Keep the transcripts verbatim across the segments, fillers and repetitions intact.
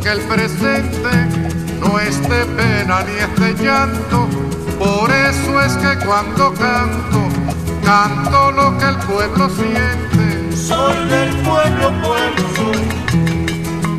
que el presente no es de pena ni es de llanto. Por eso es que cuando canto, canto lo que el pueblo siente. Soy del pueblo, pueblo soy,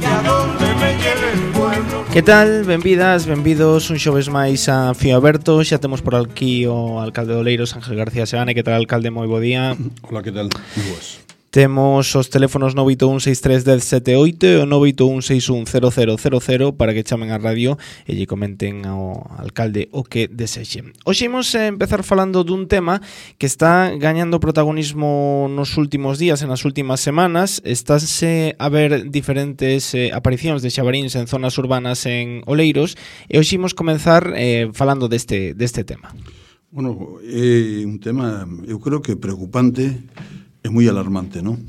y a donde me lleve el pueblo. Que tal? Benvidas, benvidos un xoves máis a Fío Aberto. Xa temos por aquí o alcalde de Oleiros, Ángel García Seane. Que tal, alcalde? Moi bo día. Hola, que tal? Moi boas. Temos os teléfonos nove oito un seis tres un cero sete oito e o nove oito un seis un cero cero cero cero para que chamen a radio e lle comenten ao alcalde o que desexen. Hoxe imos empezar falando dun tema que está gañando protagonismo nos últimos días e nas últimas semanas. Estánse a ver diferentes eh, aparicións de xabaríns en zonas urbanas en Oleiros e hoxe imos comenzar eh, falando deste, deste tema. Bueno, é un tema, eu creo que preocupante. É moi alarmante, non?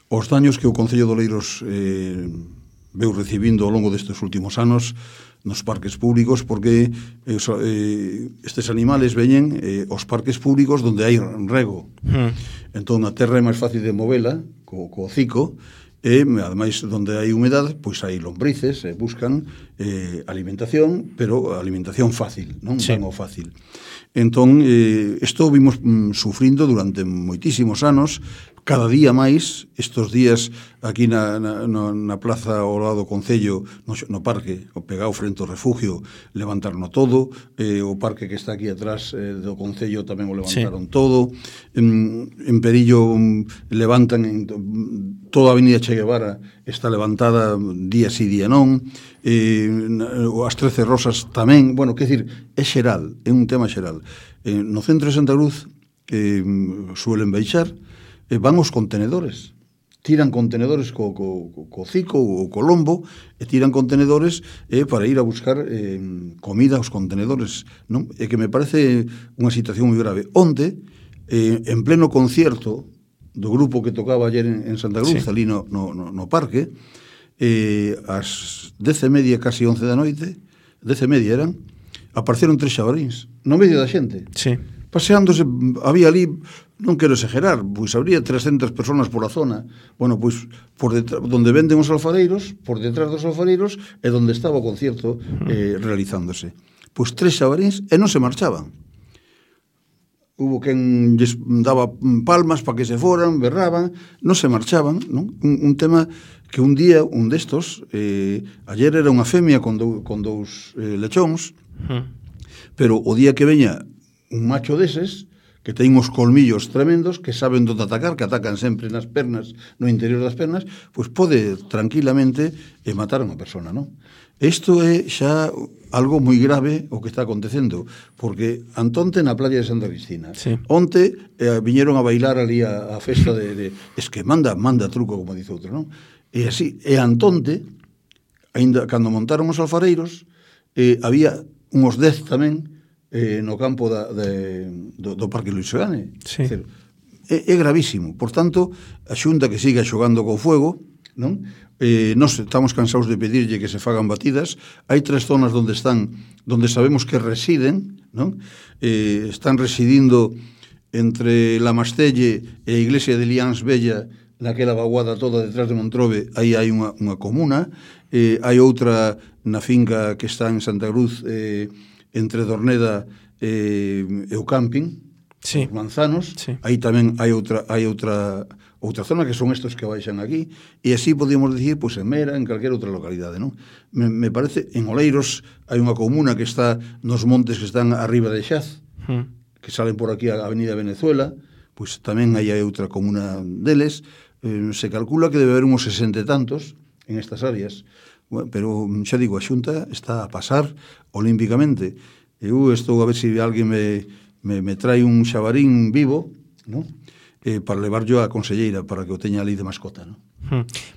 Os daños que o Concello de Oleiros eh, veu recibindo ao longo destes últimos anos nos parques públicos, porque eh, eh, estes animales veñen eh, aos parques públicos onde hai rego. Hmm. Entón, a terra é máis fácil de movela co, co hocico, e, ademais, onde hai humedade, pois hai lombrices, e buscan eh, alimentación, pero alimentación fácil, non? Sí. Tan o fácil. Entón, eh, isto vimos mm, sufrindo durante moitísimos anos, cada día máis. Estos días aquí na, na, na plaza ao lado do Concello, no, no parque, o pegado frente ao refugio, levantarno todo, eh, o parque que está aquí atrás eh, do Concello tamén o levantaron, sí, todo, en, en Perillo um, levantan en, toda a avenida Che Guevara está levantada día sí, día non, eh, as trece Rosas tamén. Bueno, que decir, é xeral, é un tema xeral. Eh, no centro de Santa Cruz eh, suelen baixar, eh, van os contenedores, tiran contenedores co, co, co cico ou co lombo, e tiran contenedores eh, para ir a buscar eh, comida aos contenedores, non? E que me parece unha situación moi grave. Onde, eh, en pleno concierto do grupo que tocaba ayer en, en Santa Cruz, sí, ali no, no, no parque, eh, ás dez e media, casi once da noite, dez e media eran, apareceron tres xabaríns no medio da xente, sí, paseándose. Había ali, non quero exagerar, pois habría trescentas personas pola zona. Bueno, pois por detrás, donde venden os alfareiros, por detrás dos alfareiros, é donde estaba o concierto eh, realizándose. Pois tres xabaríns e non se marchaban. Hubo quen lles daba palmas para que se foran, berraban, non se marchaban, non? Un, un tema que un día, un destos, eh, ayer era unha femia con, dou, con dous eh, lechóns, uh-huh, pero o día que veña un macho deses, que ten uns colmillos tremendos, que saben onde atacar, que atacan sempre nas pernas, no interior das pernas, pois pode tranquilamente eh, matar a unha persona, non? Isto é xa algo moi grave o que está acontecendo, porque antonte na playa de Santa Cristina, sí, onte eh, viñeron a bailar ali a, a festa de, de... Es que manda, manda truco, como dice outro, non? E así, e antonte, ainda cando montaron os alfareiros, eh, había uns dez tamén eh, no campo da, de, do, do Parque Luis Seoane. Sí. É, é gravísimo. Por tanto, a Xunta que siga xogando co fuego, non? Eh, nos estamos cansados de pedirlle que se fagan batidas. Hai tres zonas onde están, onde sabemos que residen, non? Eh, están residindo entre La Mastelle e a iglesia de Liáns Bella, naquela vaguada toda detrás de Montrobe. Aí hai unha, unha comuna, eh, hai outra na finca que está en Santa Cruz, eh, entre Dorneda e, e o camping, sí, os Manzanos, sí, aí tamén hai outra hai outra outra zona que son estos que baixan aquí, e así podíamos dicir, pois, en Mera, en calquera outra localidade, non? Me, me parece, en Oleiros hai unha comuna que está nos montes que están arriba de Xaz, hmm, que salen por aquí a Avenida Venezuela, pois tamén hai outra comuna deles. Eh, se calcula que debe haber uns sesenta e tantos en estas áreas. Bueno, pero xa digo, a Xunta está a pasar olímpicamente. Eu estou a ver se alguén me, me, me trae un xabarín vivo, ¿no? Eh, para levar yo a conselleira para que o teña ali de mascota, ¿no?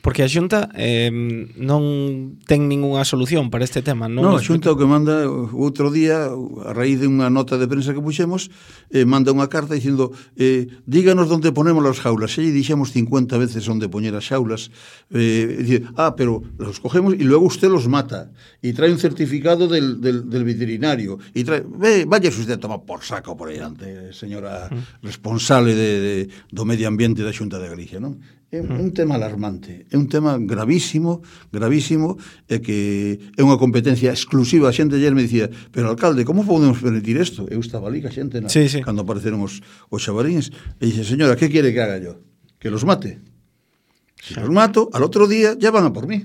Porque a Xunta eh, non ten ningunha solución para este tema, non? Non, a Xunta o que manda outro día, a raíz de unha nota de prensa que puxemos, eh, manda unha carta dicindo eh, díganos onde ponemos as jaulas. E lle dixemos cincuenta veces onde poñer as xaulas. Eh, dice, ah, pero los cogemos e luego usted los mata e trae un certificado del, del, del veterinario e trae, ve, vaya usted a tomar por saco por aí ante, señora uh-huh. responsable de, de, do medio ambiente da Xunta de Galicia, non? É un tema alarmante, é un tema gravísimo, gravísimo, e que é unha competencia exclusiva. A xente ayer me dicía, pero alcalde, como podemos permitir isto? Eu estaba ali, que a xente, na, sí, sí. cando apareceron os, os xabaríns, e dixe, señora, que quere que haga yo? Que los mate. Se los mato, al otro día ya van a por mí.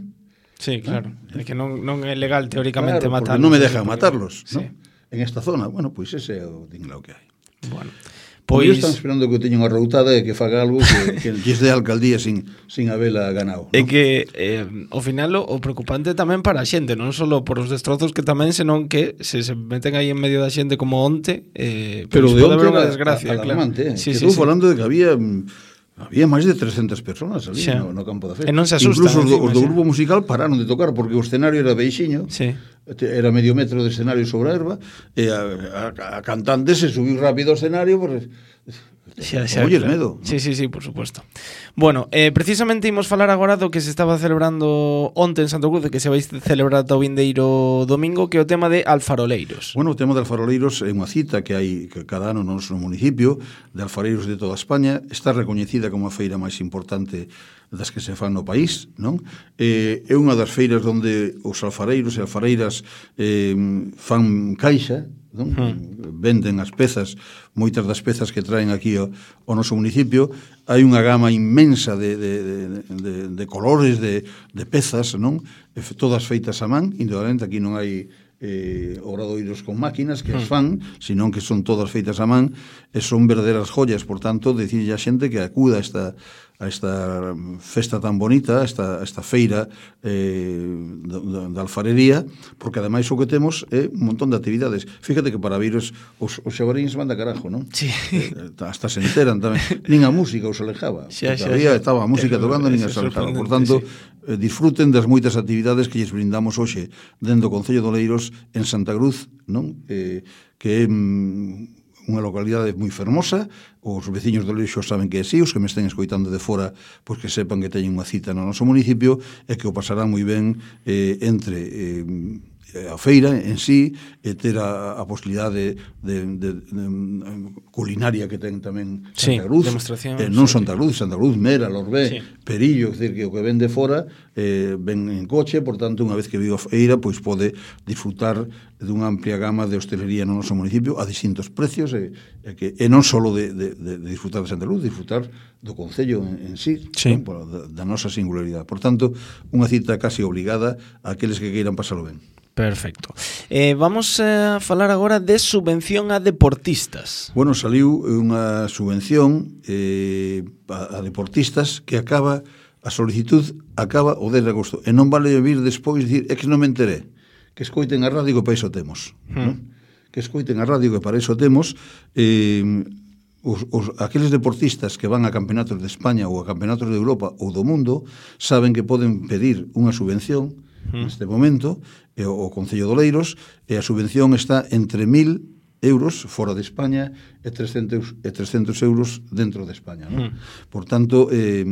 Sí, claro, é que non, non é legal teóricamente claro, matarlos. non me dejan porque... matarlos, sí. ¿no? En esta zona, bueno, pois pues ese é o dinglao que hai. Bueno. Pois pues... están esperando que eu teña unha routada e que faga algo que, que lles dé a alcaldía sin, sin habela ganado, ¿no? É que, eh, ao final, o, o preocupante tamén para a xente, non só por os destrozos que tamén, senón que se, se meten aí en medio da xente como onte, eh, pero pues de pode onte haber unha era desgracia, alarmante, claro. Sí, que sí, estou sí. falando de que había... Había máis de trescentas persoas ali no, no campo da fe. E non se asustan. Incluso os do, encima, os do grupo musical pararon de tocar porque o escenario era beixiño, sí. Era medio metro de escenario sobre a erva, e a, a, a cantante se subiu rápido ao escenario porque... Xa, xa, Oye, claro. medo. Sí, sí, sí, por supuesto. Bueno, eh, precisamente imos falar agora do que se estaba celebrando onte en Santo Cruz, que se vai celebrar ata o vindeiro domingo, que é o tema de alfaroleiros. Bueno, o tema de alfaroleiros é unha cita que hai que cada ano no noso municipio de alfareiros de toda España. Está recoñecida como a feira máis importante das que se fan no país, non? Eh, é unha das feiras onde os alfareiros e alfareiras eh, fan caixa, non? Hmm. Venden as pezas, moitas das pezas que traen aquí ao, ao noso municipio. Hai unha gama inmensa de, de, de, de, de colores, de, de pezas, non? Todas feitas a man, indudablemente aquí non hai eh, obradoiros con máquinas que as fan, senón que son todas feitas a man e son verdaderas joyas. Por tanto, decirlle a xente que acuda a esta, a esta festa tan bonita, a esta, a esta feira eh, da alfarería, porque ademais o que temos é un montón de actividades. Fíjate que para vir os, os, os xabaríns van da carajo, non? Sí. Eh, hasta se enteran tamén. Nin a música os alejaba. Xa, xa, Todavía xa. estaba a música tocando, nin as alejaba. Por tanto, sí. eh, disfruten das moitas actividades que lles brindamos hoxe dentro do Concello de Oleiros en Santa Cruz, non? Eh, que é mm, unha localidade moi fermosa. Os veciños do Leixo saben que é así, os que me estén escoitando de fora, pois que sepan que teñen unha cita no noso municipio e que o pasarán moi ben eh, entre eh, a feira en sí, e ter a, a posibilidade de, de, de, de culinaria que ten tamén Santa Cruz, sí, eh, non Santa Cruz, Santa Cruz, Mera, Lorbé, sí. Perillo, é dicir, que o que ven de fora eh, ven en coche, por tanto, unha vez que vivo a feira, pois pode disfrutar dunha amplia gama de hostelería no noso municipio a distintos precios, e, e, que, e non só de, de, de disfrutar de Santa Cruz, disfrutar do Concello en, en sí, sí. Non, da, da nosa singularidade. Por tanto, unha cita casi obligada a aqueles que queiran pasalo ben. Perfecto. Eh, vamos a falar agora de subvención a deportistas. Bueno, saliu unha subvención eh, a, a deportistas que acaba, a solicitud acaba o dez de agosto. E non vale vir despois dicir, é que non me enteré. Que escoiten a radio que para iso temos. Hmm. ¿No? Que escoiten a radio que para iso temos. Eh, os, os, aqueles deportistas que van a campeonatos de España ou a campeonatos de Europa ou do mundo saben que poden pedir unha subvención neste momento, e o Concello de Oleiros, e a subvención está entre mil euros fora de España e trescentos, e trescentos euros dentro de España, ¿no? Mm. Por tanto, eh,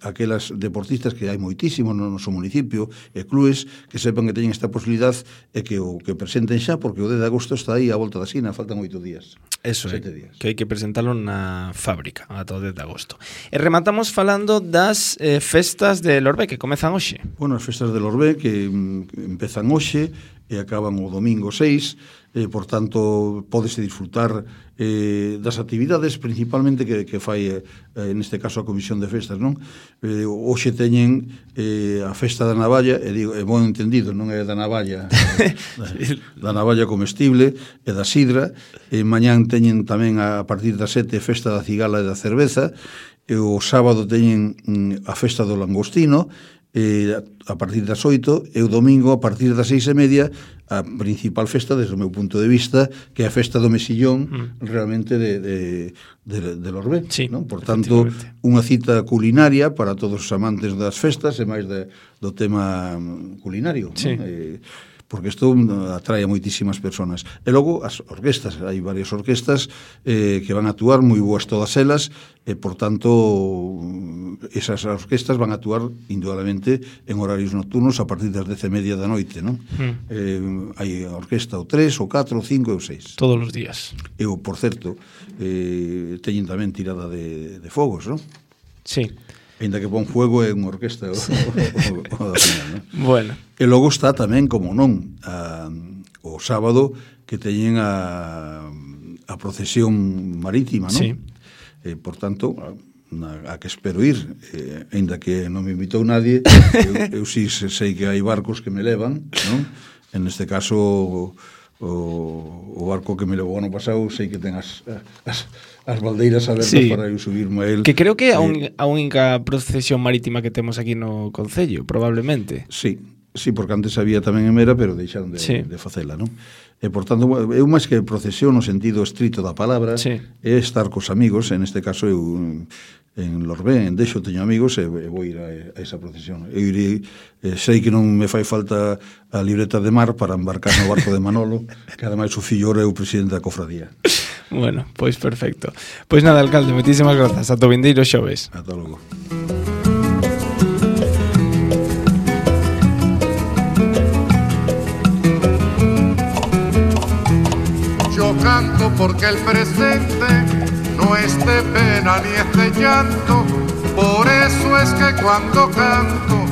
aquelas deportistas que hai moitísimos no noso municipio e clubes que sepan que teñen esta posibilidad e que o que presenten xa, porque o dez de agosto está aí a volta da esquina, faltan oito días. Eso é, días. Que hai que presentalo na fábrica ata o dez de agosto. E rematamos falando das eh, festas de Lorbé que comezan hoxe. Bueno, as festas de Lorbé que mm, empezan hoxe e acaban o domingo seis, eh, por tanto, pódese disfrutar eh, das actividades principalmente que, que fai, eh, neste caso, a Comisión de Festas, non? Eh, hoxe teñen eh, a festa da navalla, e digo, é bon entendido, non é da navalla, da, da navalla comestible e da sidra, e mañán teñen tamén a partir das sete festa da cigala e da cerveza, e o sábado teñen mm, a festa do langostino, eh, a partir das oito, e o domingo a partir das seis e media a principal festa desde o meu punto de vista, que é a festa do mesillón mm. realmente de, de, de, de Lorbé, sí, non? Por tanto, unha cita culinaria para todos os amantes das festas e máis de, do tema culinario, sí. Non? Eh, porque isto atrae a moitísimas personas. E logo as orquestas, hai varias orquestas eh, que van a actuar, moi boas todas elas, e por tanto esas orquestas van a actuar indudablemente en horarios nocturnos a partir das dez e media da noite, non? Mm. Eh, hai a orquesta o tres, o catro, o cinco e o seis. Todos os días. E o, por certo, eh, teñen tamén tirada de, de fogos, non? Sí. Ainda que pon fuego é unha orquesta o, o, o, o final, non? Bueno. E logo está tamén, como non, a, o sábado que teñen a, a procesión marítima, non? Sí. E, por tanto, a, a que espero ir, eh, ainda que non me invitou nadie, eu, eu sí sei que hai barcos que me levan, non? En este caso, o, o barco que me levou ano pasado, sei que ten as, as, as baldeiras abertas, sí, para eu subirme a él. Que creo que é eh, a única procesión marítima que temos aquí no Concello, probablemente. Sí, sí, porque antes había tamén en Mera, pero deixaron de, sí, de facela, non? E, por tanto, eu máis que procesión no sentido estrito da palabra, sí, é estar cos amigos, en este caso eu en Lorbén, en Deixo, teño amigos e, e vou ir a, a esa procesión. Eu irei, eh, sei que non me fai falta a libreta de mar para embarcar no barco de Manolo, que ademais o fillo é o presidente da cofradía. Bueno, pois perfecto. Pois nada, alcalde, moitísimas grazas. Ata o vindeiro xoves. Ata logo. Yo canto porque el presente no es de pena ni es de llanto, por eso es que cuando canto